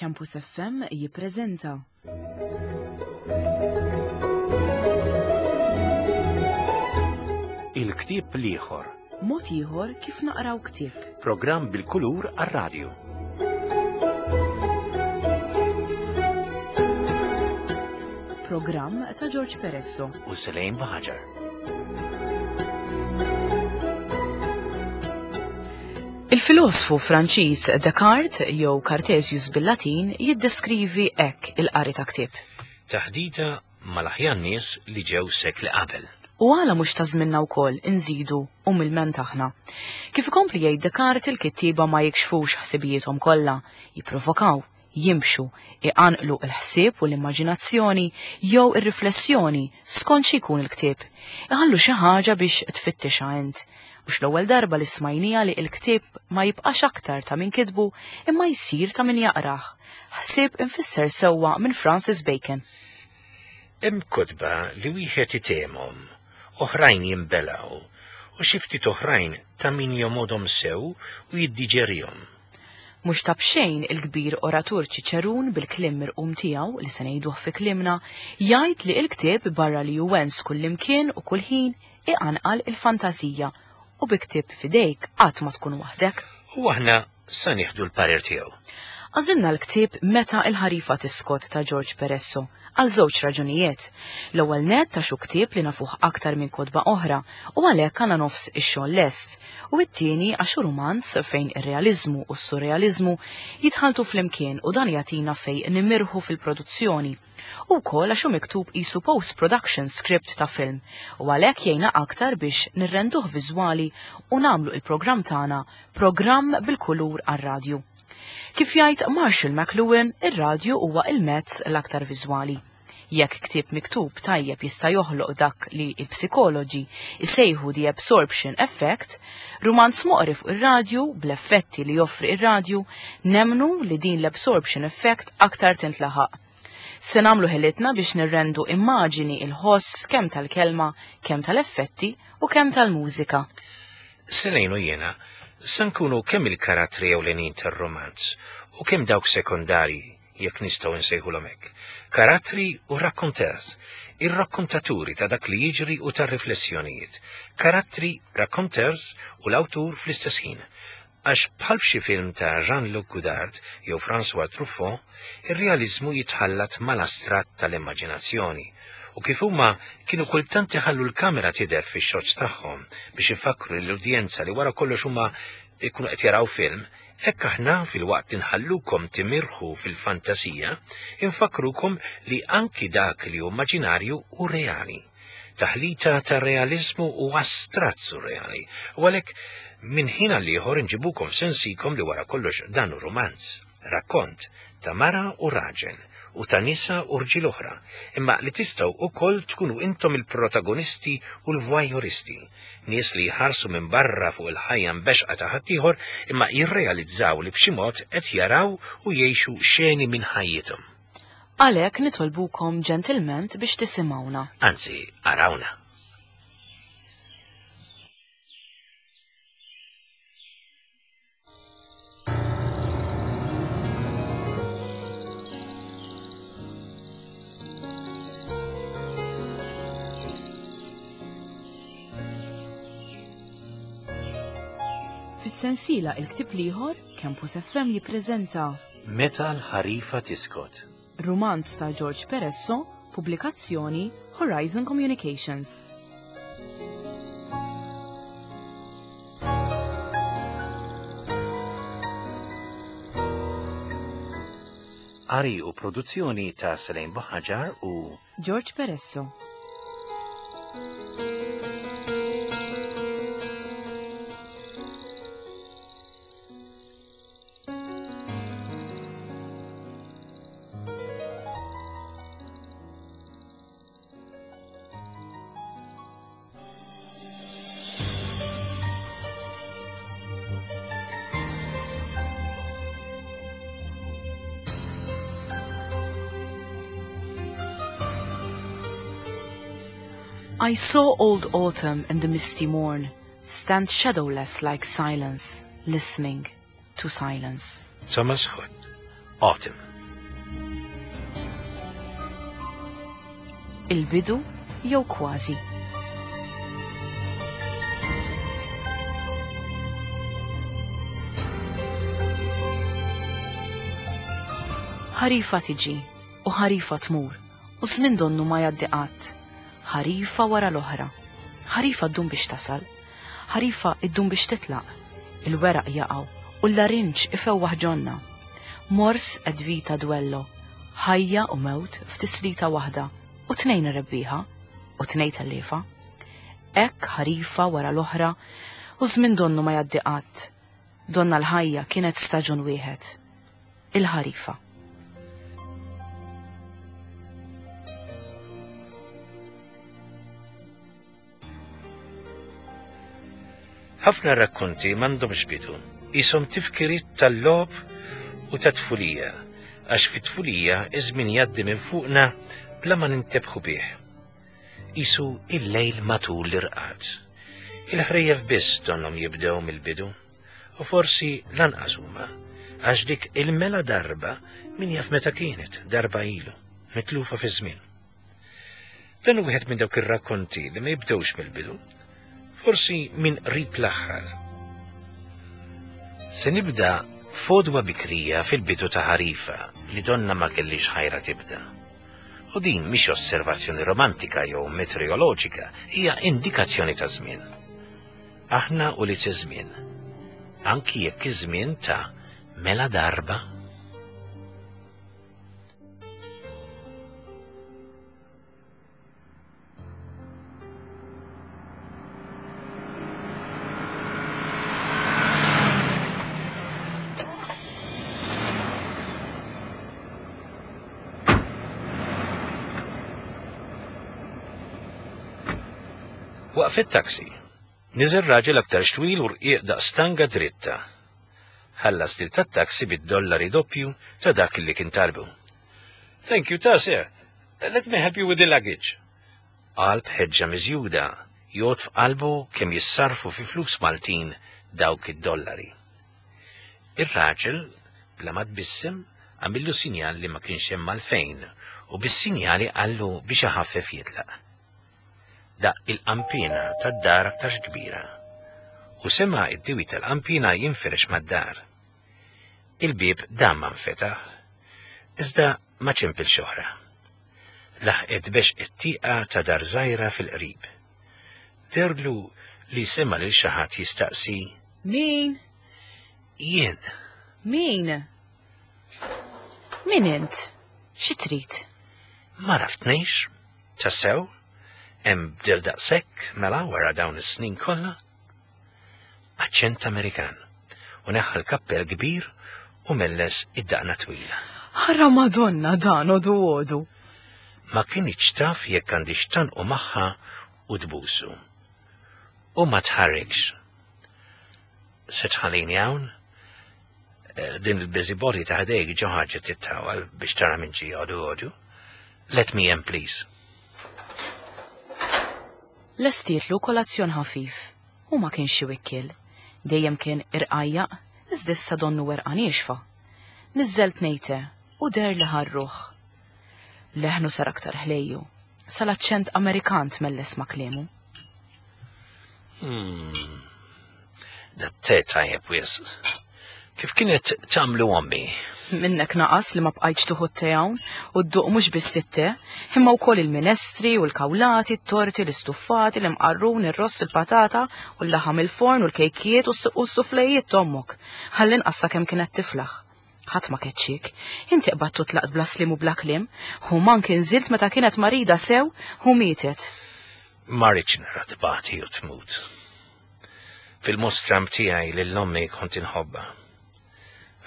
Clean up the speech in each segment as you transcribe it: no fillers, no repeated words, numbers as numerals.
Campus FM jippreżenta. Il-ktieb l-ieħor. Mod ieħor kif naqraw ktieb. Programm bil-kulur għar-radju. Programm ta' George Peresso. U Selejn Baħaġar. Il-filosfu Franċiż Descartes jew Cartesius bil-Latin jiddeskrivi hekk il-qari ta' ktieb. Taħdita mal-aħjar nies li ġew sekli qabel. U għala mhux ta' żminna wkoll inżidu umilment aħna. Kif ikompli jgħid Descartes il-kittieba ma jikxfux ħsibijiethom kollha, jipprovokaw, jimxu, iqanqlu l-ħsieb u l-immaġinazzjoni jew ir-riflessjoni skont xi jkun il-ktieb. Iħallu xi ħaġa biex tfittixha int. Mhux l-ewwel darba li smajniha li l-ktieb ma jibqax aktar ta' min kitbu imma jsir ta' min jaqrah. Ħsieb imfisser sewwa minn Francis Bacon. Hemm kotba li wieħed itehmhom, oħrajn jinbelgħu, u xi ftit oħrajn ta' min jomgħodhom sew u jiddiġerihom. Mhux ta' b'xejn il-kbir oratur Ċiċerun bil-kliem mirqum tiegħu li se ngħiduh fi kliemna, jgħid li l-ktieb barra li hu wens kullimkien u kull ħin iqanqal il-fantażija u bi ktieb f'idejk qatt ma tkun waħdek. U aħna sa nieħdu l-parir tiegħu. Għażilna l-ktieb Meta l-Ħarifa Tiskot ta' George Peresso għal żewġ raġunijiet. L-ewwel nett għax hu ktieb li nafuh aktar minn kotba oħra u għalhekk għandna nofs ix-xogħol lest, u t-tieni għax hu rumanz fejn ir-realiżmu u s-surrealiżmu jitħalltu flimkien u dan jagħtina fejn nimirħu fil-produzzjoni. U wkoll għax hu miktub qisu post-production script ta' film u għalhekk jgħinna aktar biex nirrenduh viżwali u nagħmlu il-programm tagħna programm bil-kulur għar-radju. Kif jgħid Marshall McLuhan, ir-radju huwa il-mezz l-aktar viżwali. Jekk ktieb miktub tajjeb jista' joħloq dak li l-psikoloġi jsejħu the absorption effect, rumanz moqri fuq ir-radju bl-effetti li joffri ir-radju, nemmnu li din l-absorption effect aktar tintlaħaq. Se nagħmlu ħilitna biex nirrendu immaġini il-ħoss kemm tal-kelma, kemm tal-effetti u kemm tal-mużika. Selejn u jiena sa nkunu kemm il-karattri ewlenin tar-rumanz u kemm dawk sekondarji, jekk nistgħu nsejħulhom hekk. Karattri u raconteurs, ir-rakkontaturi ta' dak li jiġri u tar-riflessjonijiet. Karattri, raconteurs u l-awtur fl-istess ħin. Għax bħal f'xi film ta' Jean-Luc Godard jew François Truffaut, ir-realiżmu jitħallat mal-astratt tal-immaġinazzjoni u kif huma kienu kultant iħallu l-kamera tidher fix-shots tagħhom biex ifakkru lill-udjenza li wara kollox huma jkunu qed jaraw film, hekk aħna filwaqt li nħallukom timirħu fil-fantasija, infakkrukom li anki dak li hu immaġinarju hu reali. Taħlita ta' realiżmu u astratt surreali, u għalhekk minn ħin għal ieħor inġibukom f'sensikom li wara kollox dan hu rumanz, rakkont ta' mara u raġel u ta' nisa u rġiel oħra, imma li tistgħu ukoll tkunu intom il-protagonisti u l-voyeuristi, nies li jħarsu minn barra fuq il-ħajja mbexxqa ta' ħaddieħor imma jirrealizzaw li b'xi mod qed jaraw u jgħixu xeni minn ħajjithom. Għalhekk nitolbukom ġentilment biex tisimgħuna. Anzi, arawna. Fis-sensiela Il-Ktieb l-Ieħor, Campus FM jippreżenta Meta l-ħarifa tiskot. Rumanz ta' George Peresso, pubblikazzjoni Horizon Communications. Qari u produzzjoni ta' Selene Buhaġar u George Peresso. I saw old autumn in the misty morn stand shadowless like silence, listening to silence. Thomas Hood, Autumn. Il-bidu jew kważi. Ħarifa tiġi u ħarifa tmur u żmien donnu ma jgħaddi qatt. Ħarifa wara l-oħra. Ħarifa ddum biex tasal. Ħarifa iddum biex titlaq. Il-weraq jaqgħu u l-larinġ ifewwaħ ġonna. Mors et vita duello. Ħajja u mewt f'tislita waħda u tnejn rebbieħa u tnejn telliefa. Hekk ħarifa wara l-oħra u żmien donnu ma jgħaddi qatt. Donna l-ħajja kienet staġun wieħed. Il-ħarifa. Ħafna rakkonti m'għandhomx bidu, qishom tifkiriet tal-logħob u tat-tfulija, għax fit-tfulija iż-żmien jgħaddi minn fuqna bla ma nintebħu bih. Qisu il-lejl matul l-irqad. Il-ħrejjef biss donnhom jibdew mill-bidu, u forsi lanqas huma, għax dik il-mela darba min jaf meta kienet, darba ilu, mitlufa fiż-żmien. Dan hu wieħed minn dawk ir-rakkonti li ma jibdewx mill-bidu, forsi minn qrib l-aħħar. Se nibda fodwa bikrija fil-bidu ta' ħarifa li donna ma kellix ħajra tibda. U din mhix osservazzjoni romantika jew meteoroloġika, hija indikazzjoni ta' żmien. Aħna u li żmien. Anki jekk iż-żmien ta' mela darba. Waqfet taxi. Niżel raġel aktarx twil u rqiq daqs stanga dritta. Ħallas lil tat-taxi bid-dollari doppju ta' dak li kien talbu. Thank you, ta' sir. Let me help you with the luggage. Qal b'ħeġġa miżjuda, jgħodd f'qalbu kemm jissarrfu fi flus Maltin dawk id-dollari. Ir-raġel, bla ma tbissem, għamillu sinjal li ma kienx hemm għalfejn u bis-sinjali qallu biex iħaffef jitlaq. Daqq il-qanpiena tad-dar aktarx kbira u sema' d-diwi tal-qanpiena jinfirex mad-dar. Il-bieb dam ma nfetaħ, iżda ma ċempilx oħra. Laħqet bexqet tieqa ta' dar żgħira fil-qrib. Dehrlu li sema' lil xi ħadd jistaqsi. Min? Jien. Min? Min int? Xi trid? M'għaraftnix? Tassew? Hemm bdil daqshekk mela wara dawn is-snin kollha? Aċċent Amerikan, u neħħa l-kappell kbir u melles id-daqna twila. Ħara Madonna dan għodu għodu. Ma kinitx taf jekk għandhiex tgħannqu magħha u tbusu. U ma tħarrikx. Se tħallini hawn? Eh, din il-busybody ta' ħdejk ġo ħarġet tittawal biex tara minn ġie għodu għodu. Let me in, please. Lestietlu kolazzjon ħafif. Hu ma kienx xi wikkiel. Dejjem kien irqajjaq, iżda issa donnu werqa niexfa. Niżżelt ngħidte u deher li ħa r-ruħ. Leħnu sar aktar ħlejju, sal-aċċent Amerikan tmelles ma' kliemu. Hmm. Dat-te tajjeb wisq. Kif kienet tagħmlu ommi? Minnek naqas li ma bqajtx tuħu t-te hawn u dduq mhux biss it-te, imma wkoll il-minestri u l-kawlati, t-torti, l-istuffati, l-imqarrun, ir-ross, il-patata u l-laħam il-forn u l-kejkijiet u s-suflejiet t'ommok. Għall-inqas sakemm kienet tiflaħ. Ħadd ma keċċiek. Inti qbadt u tlaqt bla sliem u bla kliem. U mank inżilt meta kienet marida sew u mietet. Ma rridx nara tbati u tmut. Fil-mostram tiegħi lil ommi kont inħobbha.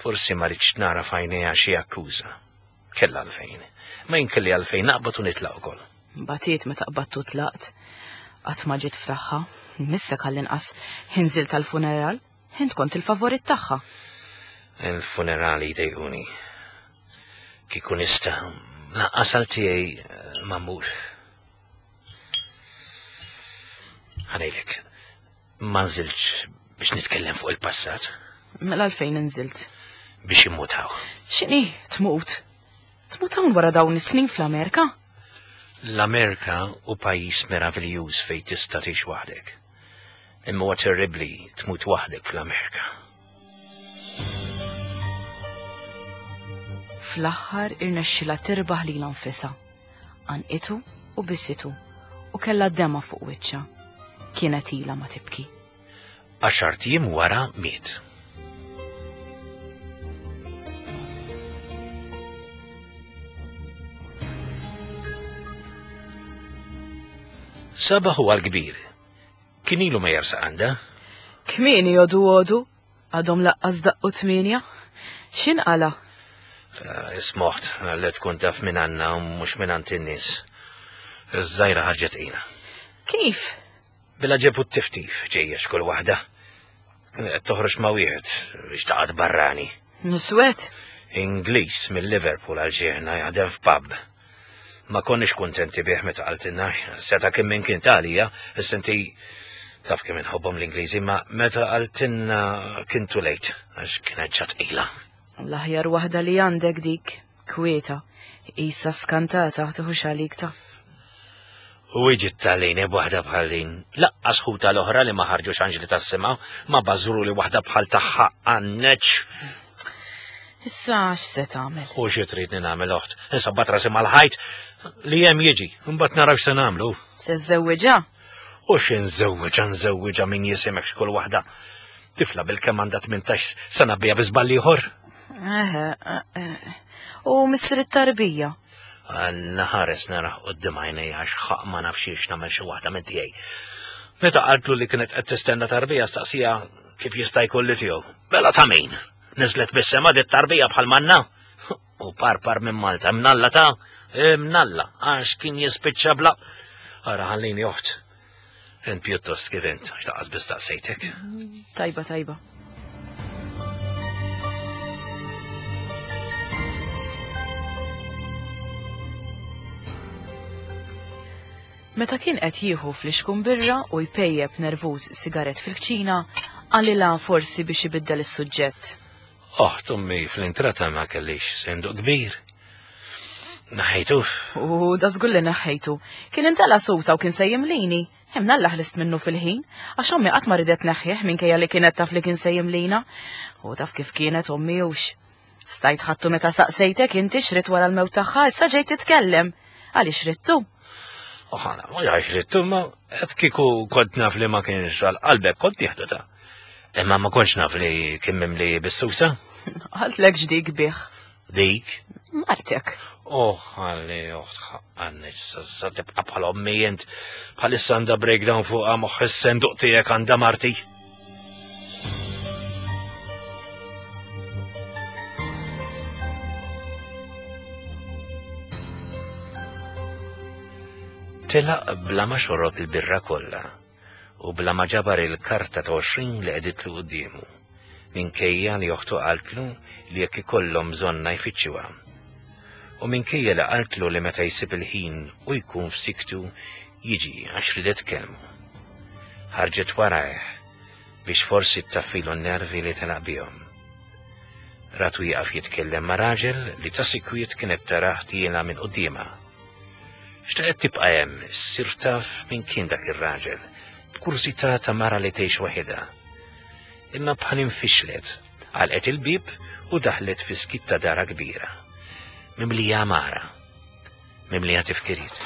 Forsi ma ridtx nara f'għajnejha xi akkuża. Kellha għalfejn. Ma jien kelli għalfejn naqbad u nitlaq ukoll. Batiet meta qbadt u tlaqt. Qatt ma ġiet f'tagħha. Missek għall-inqas inżilt għall-funeral. Int kont il-favorit tagħha. Il-funerali jdejquni. Kieku nista' lanqas għal tiegħi eh, ma mmur. Ħa ngħidlek, ma nżiltx biex nitkellem fuq il-passat. Mela għalfejn inżilt? Biex immut hawn. X'inhi tmut? Tmut hawn wara dawn is-snin fl-Amerika? L-Amerika hu pajjiż meraviljuż fejn tista' tgħix waħdek. Imma huwa terribbli tmut waħdek fl-Amerika. Fl-aħħar irnexxilha tirbaħ lilha nfisha. Għanqitu u bisitu u kellha dema fuq wiċċha. Kienet ilha ma tibki. Għaxart ijiem wara miet. Sabaħ huwa l-kbir. Kien ilu ma jersaq għandha. Kmieni jodu għodu, għadhom laqqas daqqu tmienja. X'inqala? Eh, ismoħt li tkun taf minn għandna u mhux minn għand in-nies. Iż-żgħira ħarġet qina. Kif? Bil-għaġeb u t-tiftif ġejja x'kull waħda. Kienet qed toħroġ ma' wieħed biex taqgħod barrani. Niswed? Ingliż mill-Liverpool għal ġieħna jaħdem f'pub. Ma konniex kuntenti bih meta qaltilna, seta' kien min kien ta' għalija, issa inti taf kemm inħobbhom l-Ingliżi, ma meta qaltilna kien too late, għax kienet ġa tqila. L-aħjar waħda li għandek dik, kwieta, qisha skantata tieħux għalik ta'. U iġi t-talini b'waħda bħal din. Laqqas ħuta l-oħra li ma ħarġux anġli tas-sema, ma bażru li waħda bħal tagħha għanneċ. Issa x'se tagħmel? U xi tridni nagħmel oħt? Insabbat rasi mal-ħajt li hemm jiġi, imbagħad naraw x'se nagħmlu. Se żżewwiġha? U xi nżewwiġha nżewwiġha min jisimek x'kull waħda. Tifla bil-kemm għandha 18 sena bija bi żball ieħor. Eħe, eh, u missier it-tarbija. Alla ħares narah quddiem għajnejja għax ħaqq ma nafx hiex nagħmel xi waħda minn tiegħi. Meta qaltlu li kienet qed tistenna tarbija staqsija kif jista' jkun li tiegħu. Mela ta' min? Niżlet mis-sema dit tarbija bħal manna? U parpar minn Malta, mnalla ta' mnalla, għax kien jispiċċa bla. Ara ħallini oħt. Int pjuttost kif int, għax taqqas biss staqsejtek. Tajba, tajba. Meta kien qed jieħu flixkun birra u jpejjep nervuż sigarett fil-kċina, qalilha forsi biex ibiddel is-suġġett. Oħt ommi fl-intrata ma kellix senduq kbir. Naħejtu. U da żgur li neħħejtu. Kien intela susa u kien se jimlini. Imnalla ħlist minnu fil-ħin, għax ommi qatt ma ridet neħħih minkejja li kienet taf li kien se jimlina. U taf kif kienet ommi hux. Stajt ħadtu meta saqsejtek inti x'ridt wara l-mewt tagħha, issa ġejt titkellem. Għaliex ridtu? Oħana, mhux għax ridtu, ma qed kieku kont naf li ma kienx għal qalbek kont tieħdu ta'. Imma ma kontx naf li kien mimli bis-susa. Għaltlek ġdik bih. Dik? Martek. Oh, għalli, oħt, għanni, sa tibqa bħal ommi jent, bħalissa għanda breakdown fuqa moħħ is-senduq tiegħek għanda marti. Telaq bla ma xorob il-birra kollha. u bla ma ġabar il-karta ta' 20 li qegħditlu quddiemu, minkejja li oħtu qaltlu li jekk ikollhom bżonnha jfittxuha. U minkejja li qaltlu li meta jsib il-ħin u jkun f'siktu jiġi għax ridet tkellmu. Ħarġet warajh biex forsi ttaffilu n-nervi li telaq bihom. Ratu jieqaf jitkellem ma' raġel li ta' sikwit kienet tarah tiela' minn quddiemha. Xtaqet tibqa' hemm, ssir taf min kien dak ir-raġel, b'kurżità ta' mara li tgħix waħidha. Imma bħal infixlet, għalqet il-bieb u daħlet fi skiet ta' darha kbira, mimlija għamara, mimlija tifkiriet.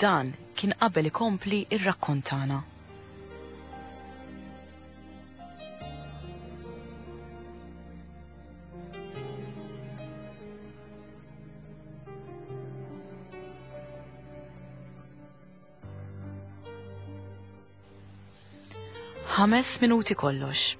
Dan kien qabel ikompli r-rakkont tagħna. Ħames minuti kollox.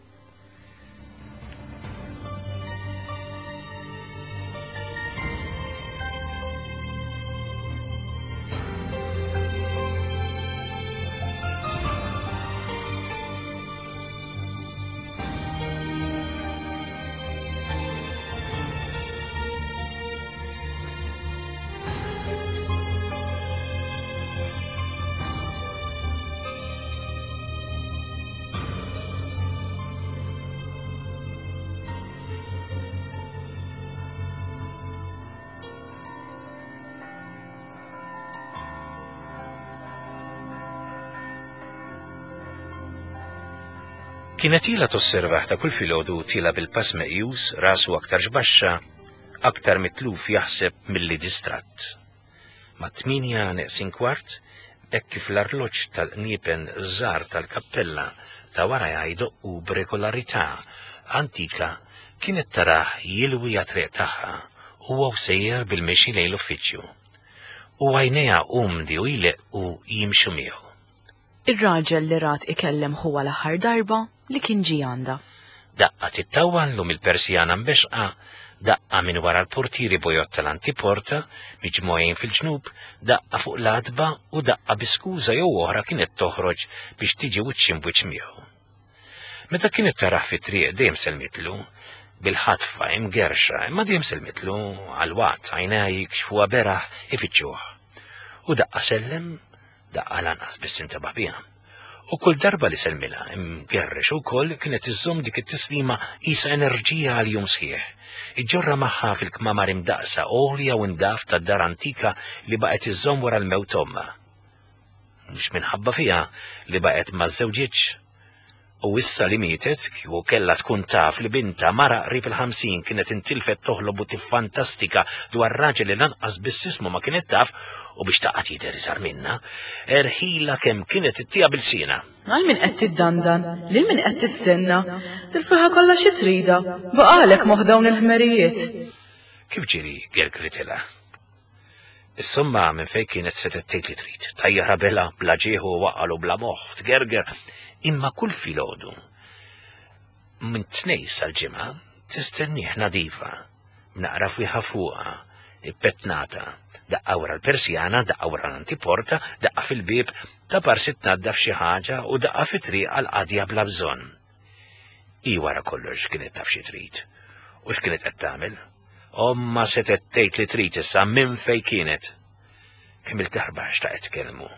Kienet ilha tosservah ta' kull filgħodu tiela' bil-pass meqjus, rasu aktarx baxxa, aktar mitluf jaħseb milli distratt. Mat-tmienja neqsin kwart, hekk kif l-arloġġ tal-qniepen żgħar tal-kappella ta' warajha jdoqqu b'regolarità antika, kienet tarah jilwi għat-triq tagħha, huwa u sejjer bil-mixi lejn l-uffiċċju. U għajnejha umdi u jleqqu jimxu miegħu. Ir-raġel li rat ikellem ħuha l-aħħar darba li kien ġie għandha. Daqqa tittawwal u mill-persjana mbexxqa, daqqa minn wara l-portieri bojod tal-antiporta, miġmugħin fil-ġnub, daqqa fuq l-għatba u daqqa bi skuża jew oħra kienet toħroġ biex tiġi wiċċ imbwiċċ miegħu. Meta kienet tarah fit-triq dejjem sellmitlu, bil-ħatfa, imgerrxa, imma dejjem sellmitlu, għal waqt għajnejha jikxfuha beraħ ifittxuh. U daqqa sellem, Daqqa lanqas biss intebaħ biha. U kull darba li sellmilha, imgerrex ukoll, kienet iżżomm dik it-tislima qisha enerġija għal jum sħiħ. Iġġorrha magħha fil-kmamar imdaqqsa, għolja u ndaf tad-dar antika li baqgħet iżżomm wara l-mewt ommha. Mhux minħabba fiha li baqgħet ma żżewġitx. U issa li mietet, kieku kellha tkun taf li bintha, mara qrib il-50, kienet intilfet toħlob u tiffantastika dwar raġel li lanqas biss ismu ma kienet taf u biex taqgħad jidher iżgħar minnha, erħilha kemm kienet ittiha b'ilsienha. Għal min qed tiddandan? Lil min qed tistenna? Dil-fwieħa kollha xi tridha? Baqagħlek moħħ dawn il-ħmerijiet. Kif ġieli gergritilha. Insomma, minn fejn kienet setgħet tgħid li trid. Tajjarha bela, bla ġieħ u waqal u bla moħħ, tgerger. Imma kull filgħodu, minn tnejn sal-ġimgħa, tistennieh nadifa, b'naqra fwieħa fuqha, ippetnata, daqqa wara l-persjana, daqqa wara l-antiporta, daqqa fil-bieb, ta' parsi tnaddaf xi ħaġa u daqqa fit-triq għal qadja bla bżonn. Hi wara kollox kienet taf xi trid u x'kienet qed tagħmel. Ommha setgħet tgħid li trid issa minn fejn kienet. Kemm il-darba xtaqet tkellmu.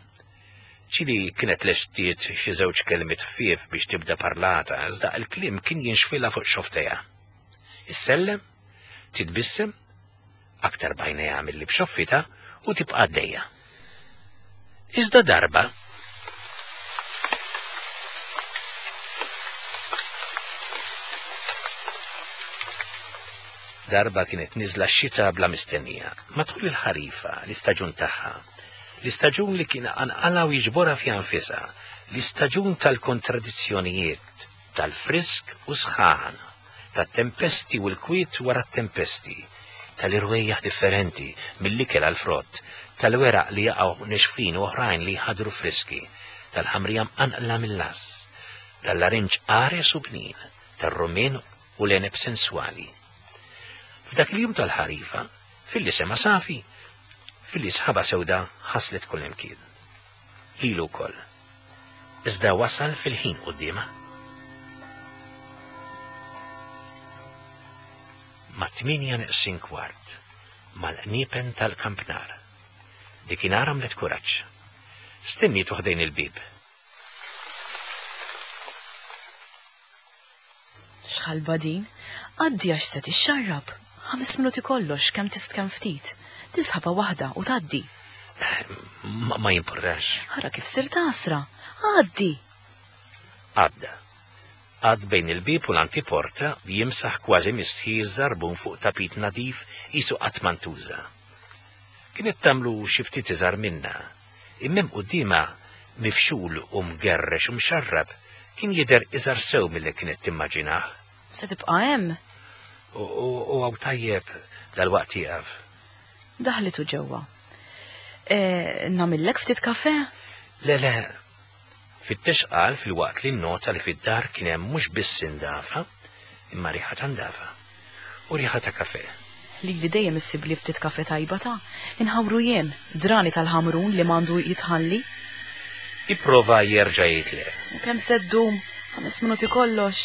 Ġieli kienet lestiet xi żewġ kelmiet ħfief biex tibda parlata, iżda l-kliem kien jinxfilha fuq xofftejha. Issellem, titbissem, aktar b'għajnejha milli b'xoffitha u tibqa' għaddejja. Iżda darba, Darba kienet niżla x-xita bla mistennija, matul il-ħarifa, l-istaġun tagħha. L-istaġun li kien iqanqalha u jiġborha fiha nfisha, l-istaġun tal-kontradizzjonijiet, tal-frisk u sħan, tat-tempesti u l-kwiet wara t-tempesti, tal-irwejjaħ differenti, mill-ikel għall-frott, tal-weraq li jaqgħu nexfin u oħrajn li jħaddru friski, tal-ħamrija mqanqla mill-għażż, tal-larinġ qares u bnin, tar-rummien u l-għeneb senswali. F'dak il-jum tal-ħarifa, filli sema safi, filli sħaba sewda ħaslet kullimkien. Lilu wkoll. Iżda wasal fil-ħin quddiemha. Mat-tmienja neqsin kwart, mal-qniepen tal-kampnar. Dikinhar għamlet kuraġġ. Stennietu ħdejn il-bieb. X'ħalba din? Għaddi għax se tixxarrab. Ħames minuti kollox, kemm tist kemm ftit. Tisħaba waħda u tgħaddi. Ma, ma jimpurtax. Ara kif sirt għasra. Għaddi! Għadda. Għad bejn il-bieb u l-antiporta jimsaħ kważi mistħi ż-żarbun fuq tapit nadif qisu qatt ma ntuża. Kienet tagħmlu xi ftit iżgħar minnha, imma hemm quddiemha mifxul u mgerrex u mxarrab kien jidher iżgħar sew milli kienet timmaġinah. Se tibqa' hemm? U hawn tajjeb dalwaqt jieqaf. Daħlitu ġewwa. E, nagħmillek ftit kafè? Le, le. Fittex qal filwaqt li nnota li fid-dar kien hemm mhux biss indafa, imma riħa ta' ndafa. U riħa ta' kafè. Lili dejjem issibli ftit kafè tajba ta'. Inħawru jien, drani tal-ħamrun li m'għandu jitħalli. Ipprova jerġa' jgħid le. U kemm se ddum? Ħames minuti kollox.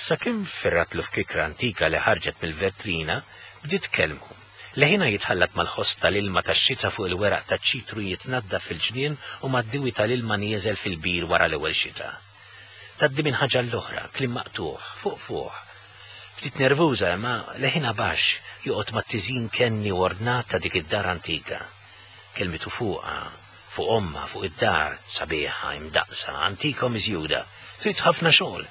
Sakemm ferratlu f'kikra antika li ħarġet mill-vetrina, bdiet tkellmu. Leħinha jitħallat mal-ħoss tal-ilma tax-xita fuq il-weraq taċ-ċitru jitnaddaf fil-ġnien u mad-diwi tal-ilma nieżel fil-bir wara l-ewwel xita. Tgħaddi minn ħaġa għall-oħra, kliem maqtugħ, fuq fuq. Ftit nervuża imma leħinha baxx joqgħod mat-tiżjin kenni u ordnat ta' dik id-dar antika. Kelmitu fuqha, Fuq ommha, fuq id-dar, sabiħa, imdaqqsa, antika u miżjuda, trid ħafna xogħol.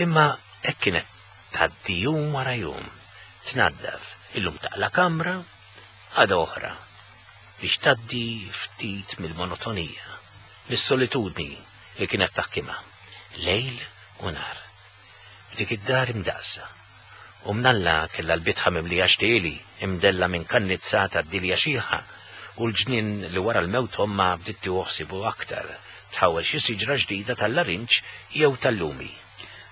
Imma hekk kienet tgħaddi jum wara jum, tnaddaf, illum taqla' kamra, għada oħra, biex tgħaddi ftit mill-monotonija, mis-solitudni li kienet taħkimha, lejl u nhar. F'dik id-dar imdaqqsa. U mnalla kellha l-bitħa mimlija xtieli, imdella minn kannizzata d-dilja xiħa, u l-ġnien li wara l-mewt ommha bdiet tieħu ħsiebu aktar, tħawwel xi siġra ġdida tal-larinġ jew tal-lumi.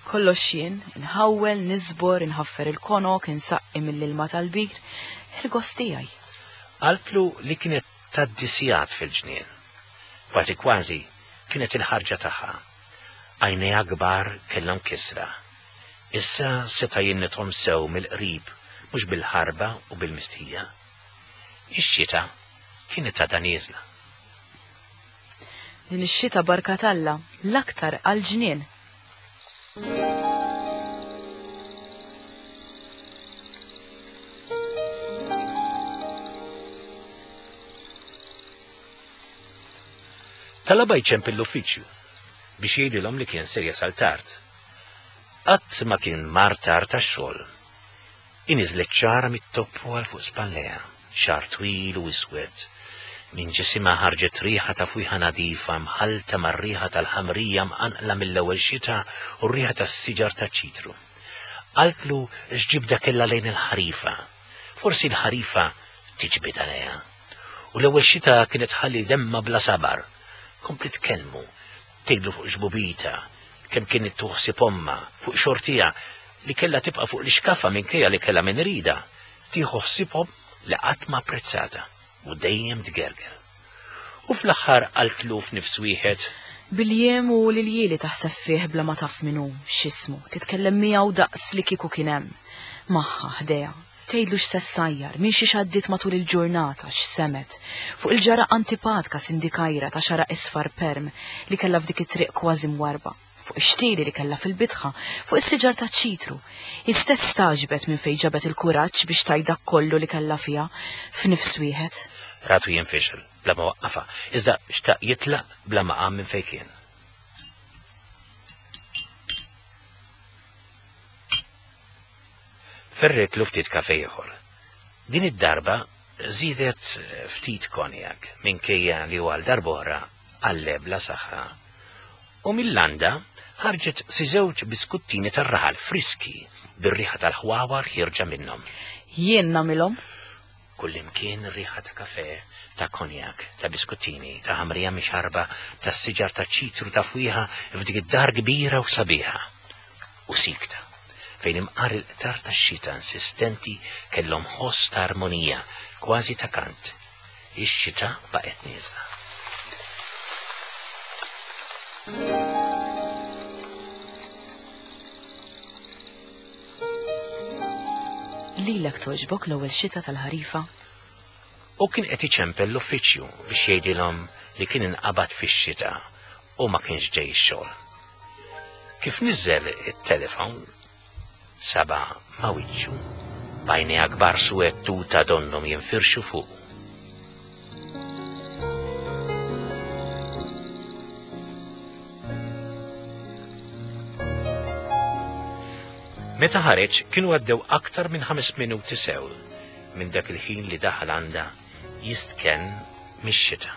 Kollox jien, inħawwel, niżbor, inħaffer il-konok, insaqqi mill-ilma tal-bir, il-gost tiegħi. Qaltlu li kienet tgħaddi sigħat fil-ġnien. Kważi kważi kienet il-ħarġa tagħha. Għajnejha kbar kellhom kisra. Issa seta' jinnithom sew mill-qrib mhux bil-ħarba u bil-mistħija. Ix-xita kienet għadha nieżla. Din ix-xita barka t'Alla, l-aktar għall-ġnien. Talabha jċempel l-uffiċċju biex jgħidilhom li kien ser jasal tard. Qatt ma kien mar tard għax-xogħol. Iniżlet xagħarha mit-toppu għal fuq spallejha, xagħar twil u iswed. Minn ġisimha ħarġet riħa ta' fwieħa nadifa mħallta mar-riħa tal-ħamrija mqanqla mill-ewwel xita u r-riħa tas-siġar taċ-ċitru. Qaltlu x'ġibda kellha lejn il-ħarifa. Forsi l-ħarifa tiġbidha lejha. U l-ewwel xita kienet tħalli demma bla sabar. Kompliet tkellmu, tgħidlu fuq xbubita, kemm kienet tuħsib ommha, fuq xortiha li kellha tibqa' fuq l-ixkaffa minkejja li kellha min iridha, tieħu ħsiebhom li qatt ma apprezzatha u dejjem tgerger. U fl-aħħar qaltlu f'nifs wieħed. Bil-jiem u l-iljieli taħseb fih bla ma taf min hu, x'ismu, titkellem miegħu daqs li kieku kien hemm, magħha, ħdejha. Tgħidlu x'se ssajjar, minn xiex għaddiet matul il-ġurnata, x'semgħet, fuq il-ġara antipatka sindikajra ta' xagħra isfar perm li kellha f'dik it-triq kważi mwarrba, fuq ix-xtieli li kellha fil-bitħa, fuq is-siġar taċ-ċitru. Hi stess stagħġbet minn fejn ġabet il-kuraġġ biex tgħid dak kollu li kellha fiha, f'nifs wieħed. Ratu jinfixel bla ma waqqafha, iżda xtaq jitlaq bla ma qam minn fejn kien. Ferretlu ftit kafe ieħor. Din id-darba żiedet ftit konjak minkejja li hu għal darb'oħra għal bla saħħa. U mill-landa ħarġet si żewġ biskuttini tar-raħal friski bir-riħa tal-ħwawar ħierġa minnhom. Jien nagħmilhom. Kullimkien riħa ta' kafè, ta' konjak, ta' biskuttini, ta' ħamrija mixarba, ta' siġar ta' ċitru ta' fwieħa f'dik id-dar kbira u sabiħa. U sikta, fejn imqar il-qtar tax-xita insistenti kellhom ħoss ta' armonija, kważi ta' kant. Ix-xita baqgħet nieżla. Lilek togħġbok l-ewwel xita tal-ħarifa? Hu kien qed iċempel l-uffiċċju biex jgħidilhom li kien inqabad fix-xita u ma kienx ġej ix-xogħol. Kif niżżel it-telefon, saba ma' wiċċu, b'għajnejha kbar suwed tuta donnhom jinfirxu fuqu. Meta ħareġ kienu għaddew aktar minn ħames minuti sew minn dak il-ħin li daħal għandha jistkenn mix-xita.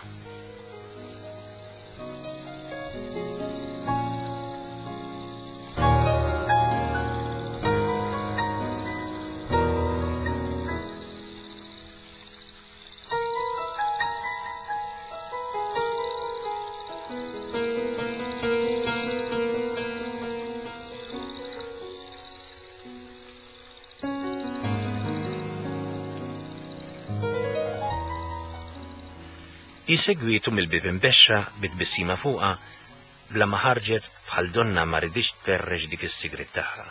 Hi segwietu mill-bieb imbexxa bi tbissima fuqha bla ma ħarġet bħal donnha ma riditx tperreċ dik is-sigriet tagħha.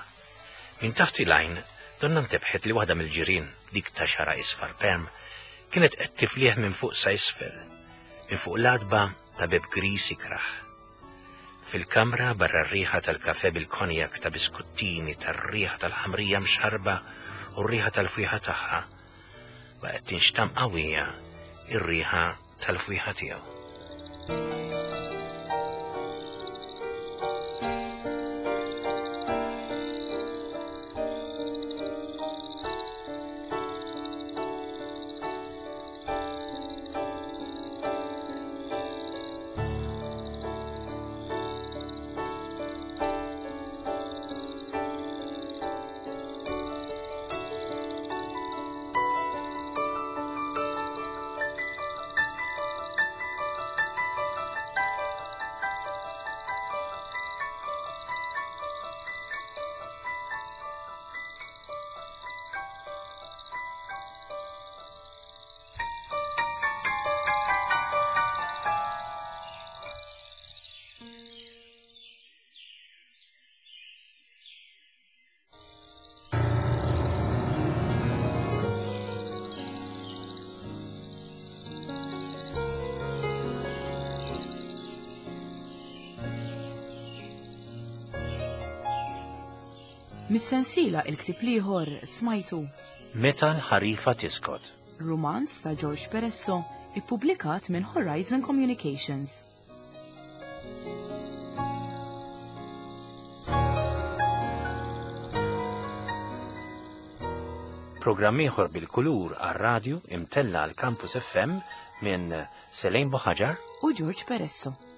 Minn taħt il-għajn donnha ntebħet li waħda mill-ġirien, dik ta' xagħarha isfar perm, kienet qed tiflih minn fuq sa isfel, minn fuq l-għatba ta' bieb griż ikrah. Fil-kamra barra r-riħa tal-kafè bil-konjak ta' biskuttini, tar-riħa tal-ħamrija mxarrba u r-riħa tal-fwieħa tagħha, baqgħet tinxtamm qawwija r-riħa tal-fwieħa tiegħu. Mis-sensiela Il-Ktieb l-Ieħor smajtu. Meta l-Ħarifa Tiskot. Rumanz ta' George Peresso, ippubblikat minn Horizon Communications. Programm ieħor bil-kulur għar-radju imtella għal Campus FM minn Selene Buħaġar u George Peresso.